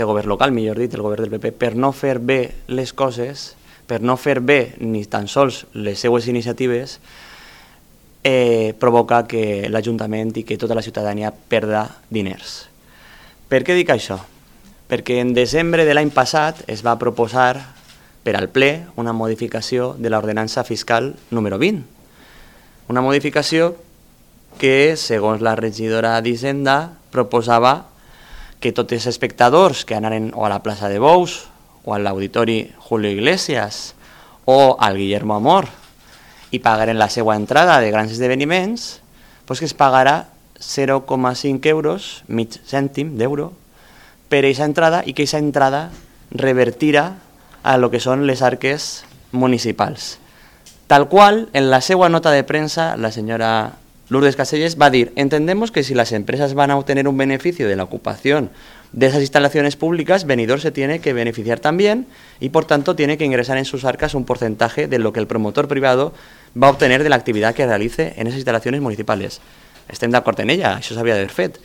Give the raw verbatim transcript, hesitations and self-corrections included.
el govern local, millor dit, el govern del P P, per no fer bé les coses, per no fer bé ni tan sols les seues iniciatives, eh, provoca que l'Ajuntament i que tota la ciutadania perda diners. Per què dic això? Perquè en desembre de l'any passat es va proposar per al ple una modificació de l'ordenança fiscal número vint. Una modificació que, segons la regidora d'Hisenda, proposava que tots els espectadors que anaren o a la plaça de Bous o a l'auditori Julio Iglesias o al Guillermo Amor i pagaren la seva entrada de grans esdeveniments, doncs que es pagarà zero coma cinc euros, mig cèntim d'euro, per aquesta entrada i que aquesta entrada revertirà a lo que són les arques municipals. Tal qual, en la seva nota de premsa, la senyora Lourdes Casellas va dir: entendemos que si las empresas van a obtener un beneficio de la ocupación de esas instalaciones públicas, Benidorm se tiene que beneficiar también y por tanto tiene que ingresar en sus arcas un porcentaje de lo que el promotor privado va a obtener de la actividad que realice en esas instalaciones municipales. Estem d'acord en ella, això s'havia d'haver fet.